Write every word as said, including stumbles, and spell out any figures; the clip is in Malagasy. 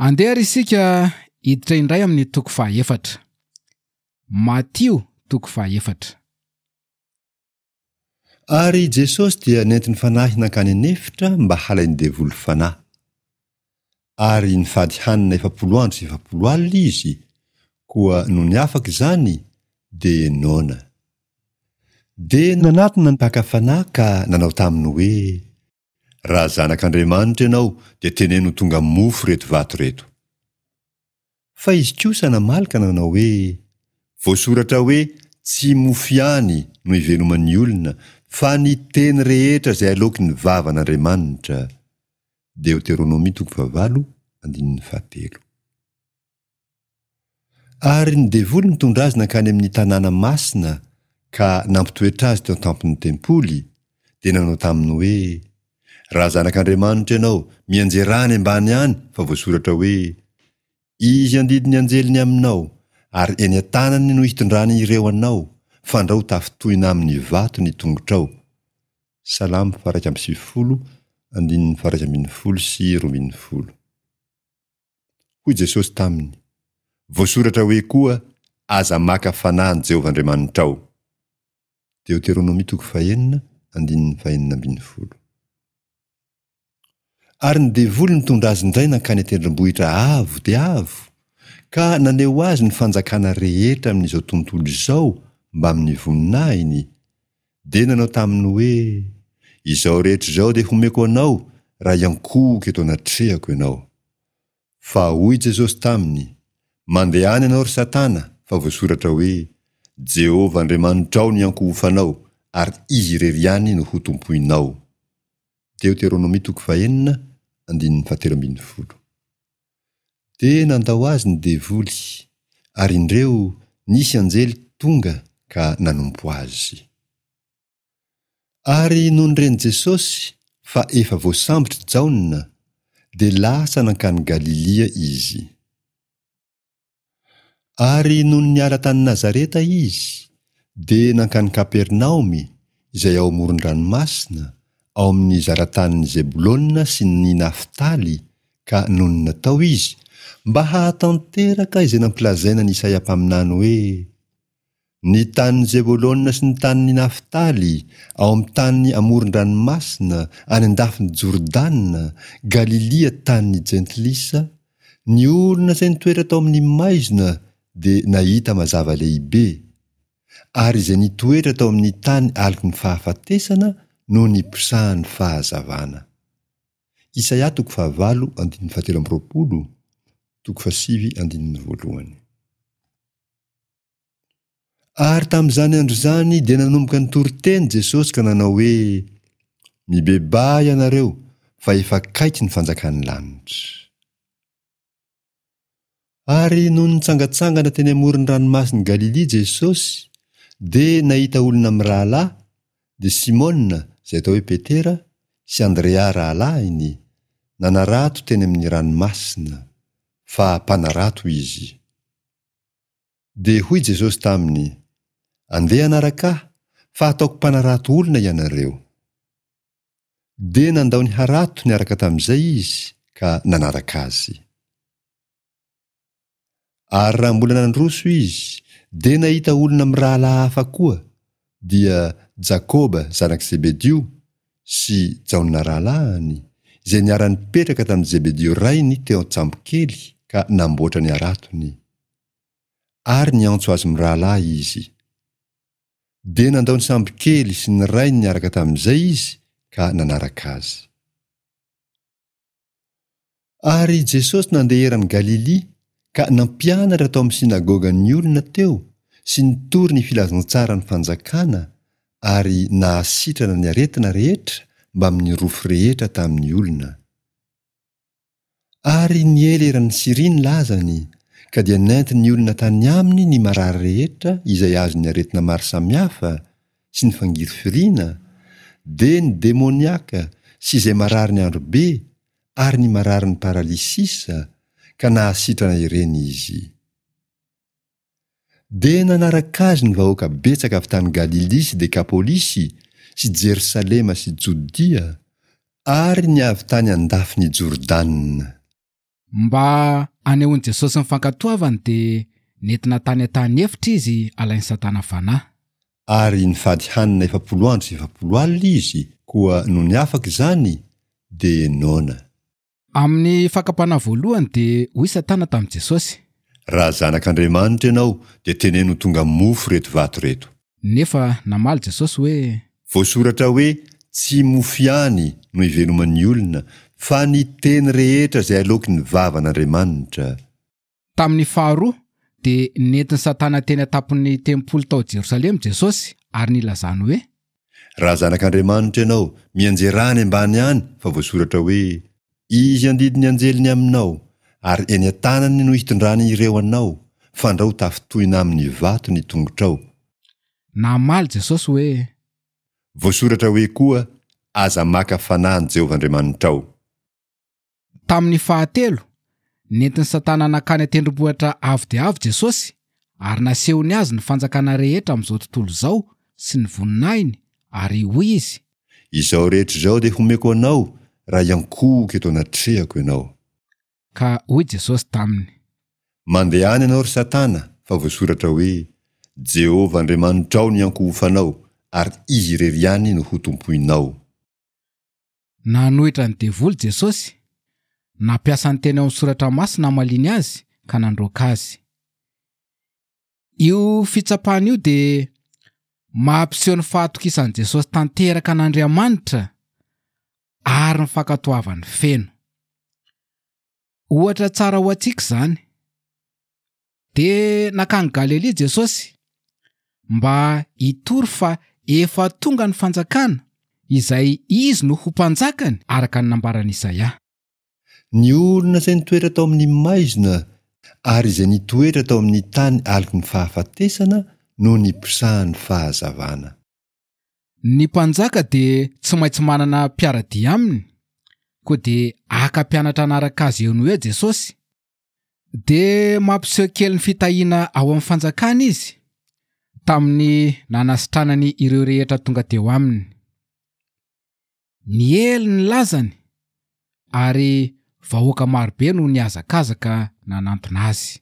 Andeha ary isika hiditra indray amin'ny toko fahaefatra. Matio toko fahaefatra. Ary Jesosy dia nentin'ny Fanahy nankany an'efitra mba halain'ny devoly fanahy. Ary nifady hanina efapolo andro sy efapolo alina izy, koa nony afaka izany, dia noana. Dia nanatona ny mpaka fanahy ka nanao taminy hoe, Raha Zanak'Andriamanitra ianao, dia teneno ho tonga mofo ireto vato ireto. Fa izy kosa namaly ka nanao hoe, Voasoratra hoe, Tsy mofo ihany no iveloman'ny olona, fa ny teny rehetra izay aloaky ny vavan'Andriamanitra. Deoteronomia toko fahavalo, andininy fahatelo. Ary ny devoly nitondra azy nankany amin'ny tanàna masina ka nampitoetra azy teo an-tampon'ny tempoly, dia nanao taminy hoe, Raha Zanak'Andriamanitra ianao, mianjerà any ambany any, fa voasoratra hoe, Izy handidy ny anjeliny aminao, ary eny an-tanany no hitondrany ireo anao, fandrao tafintohina amin'ny vato ny tongotrao. Salamo faha-iraika amby sivifolo, andininy faha-iraika ambin'ny folo sy roa ambin'ny folo. Hoy Jesosy taminy, Voasoratra hoe koa, Aza maka fanahy an'i Jehovah Andriamanitrao. Deoteronomia toko fahenina, andininy fahenina ambin'ny folo. Ary ny devoly nitondra azy indray nankany an-tendrombohitra avo dia avo, ka naneho azy ny fanjakana rehetra amin'izao tontolo izao mbamin'ny voninahiny, dia nanao taminy hoe, Izao rehetra izao dia homeko anao raha hiankohoka eto anatrehako ianao. Fa hoy Jesosy taminy, Mandehana ianao, ry Satana, fa voasoratra hoe, Jehovah Andriamanitrao no hiankohofanao, ary Izy irery ihany no hotompoinao. Deoteronomia toko fahenina, andininy fahatelo ambin'ny folo. Dia nandao azy ny devoly, ary indreo nisy anjely tonga ka nanompo azy. Ary nony ren'i Jesosy fa efa voasambotr'i Jaona, dia lasa nankany Galilia izy. Ary nony niala tany Nazareta izy, dia nankany Kapernaomy, izay ao amoron-dranomasina, ao amin'ny zaratanin'i Zebolona sy ny Naftaly, ka nonina tao izy, mba hahatanteraka izay nampilazaina an'i Isaia mpaminany hoe, Ny tanin'i Zebolona sy ny tanin'i Naftaly, ao amin'ny tany amoron-dranomasina, any an-dafin'i Jordana, Galilia tanin'ny Jentilisa, ny olona izay nitoetra tao amin'ny maizina dia nahita mazava lehibe, ary izay nitoetra tao amin'ny tany aloky ny fahafatesana no niposahan'ny fahazavana. Isaia toko fahavalo andininy fahatelo amby roapolo, toko fahasivy andininy voalohany. Ary tamin'izany andro izany dia nanomboka nitory teny Jesosy ka nanao hoe, Mibebaha ianareo, fa efa akaiky ny fanjakan'ny lanitra. Ary nony nitsangantsangana teny amoron'ny ranomasin'i Galilia Jesosy, dia nahita olona mirahalahy, dia Simona, izay atao hoe Petera, sy Andrea rahalahiny, nanarato teny amin'ny ranomasina, fa mpanarato izy. Dia hoy Jesosy taminy, Andeha hanaraka Ahy, fa hataoko mpanarato olona ianareo. Dia nandao ny harato niaraka tamin'izay izy ka nanaraka Azy. Ary raha mbola nandroso izy, dia nahita olona mirahalahy hafa koa, dia Jakoba zanak'i Zebedio sy Jaona rahalahiny, izay niara-nipetraka tamin'i Zebedio rainy teo an-tsambokely ka namboatra ny haratony. Ary niantso azy mirahalahy izy. Dia nandao ny sambokely sy ny rainy niaraka tamin'izay izy ka nanaraka azy. Ary Jesosy nandeha eran'i Galilia ka nampianatra tao amin'ny synagogan'ny olona teo sy nitory ny filazantsaran'ny fanjakana ary nahasitrana ny aretina rehetra mbamin'ny rofy rehetra tamin'ny olona. Ary niely eran'i Syria ny lazany, ka dia nentin'ny olona tany aminy ny marary rehetra izay azon'ny aretina maro samihafa sy ny fangirifiriana, dia ny demoniaka sy izay marary ny androbe ary ny mararin'ny paralysisa, ka nahasitrana ireny izy. Dia nanaraka azy ny vahoaka betsaka avy tany Galilia sy Dekapolisy sy Jerosalema sy Jodia ary ny avy tany an-dafin'i Jordana. Mba hanehoan'i Jesosy ny fankatoavany dia nentina tany an-tany efitra izy alain'i Satana fanahy. Ary nifady hanina efapolo andro sy efapolo alina izy, koa nony afaka izany dia noana. Amin'ny fakam-panahy voalohany dia hoy Satana tamin'i Jesosy. Raha zanak'Andriamanitra ianao dia teneno ho tonga mofo ireto vato ireto. Nefa namaly Jesosy hoe. Voasoratra hoe tsy mofo ihany no iveloman'ny olona fa ny teny rehetra izay aloaky ny vavan'Andriamanitra. Tamin'ny faharoa dia nentin'i Satana teny an-tampon'ny tempoly tao Jerosalema Jesosy ary nilazany hoe. Raha zanak'Andriamanitra ianao, mianjera any ambany any fa voasoratra hoe izy handidy ny anjeliny aminao ary eny an-tanany no hitondrany ireo anao fandrao tafintohina amin'ny vato ny tongotrao. Namaly Jesosy hoe. Voasoratra hoe koa aza maka fanahy an'i Jehovah Andriamanitrao. Tamin'ny fahatelo, nentin'i Satana nankany an-tendrombohitra avo dia avo Jesosy ary nasehony azy ny fanjakana rehetra amin'izao tontolo izao sy ny voninahiny ary hoy izy. Izao rehetra izao dia homeko anao raha hiankohoka eto anatrehako ianao. Ka hoy Jesosy taminy. Mandehana ianao ry Satana fa voasoratra hoe Jehovah Andriamanitrao no hiankohofanao ary izy irery ihany no hotompoinao. Nanohitra ny devoly Jesosy, nampiasa ny teny ao amin'ny soratra masina hamaliany azy ka nandroaka azy. Io fitsapana io dia mampiseho ny fahatokisan'i Jesosy tanteraka an'Andriamanitra ary ny fankatoavany feno. Ohatra tsara ho antsika izany. Dia nankany Galilia Jesosy mba hitory fa efa tonga ny fanjakana izay izy no ho mpanjakany araka ny nambaran'i Isaia. Ny olona izay nitoetra tao amin'ny maizina ary izay nitoetra tao amin'ny tany aloky ny fahafatesana no niposahan'ny fahazavana. Ny mpanjaka dia tsy maintsy manana mpiara-dia aminy, koa dia haka mpianatra hanaraka azy eo no eo Jesosy. Dia mampiseho kely ny fitahiana ao amin'ny fanjakana izy tamin'ny nanasitranany ireo rehetra tonga teo aminy. Niely ny lazany ary vahoaka marobe no nihazakazaka nanantona azy.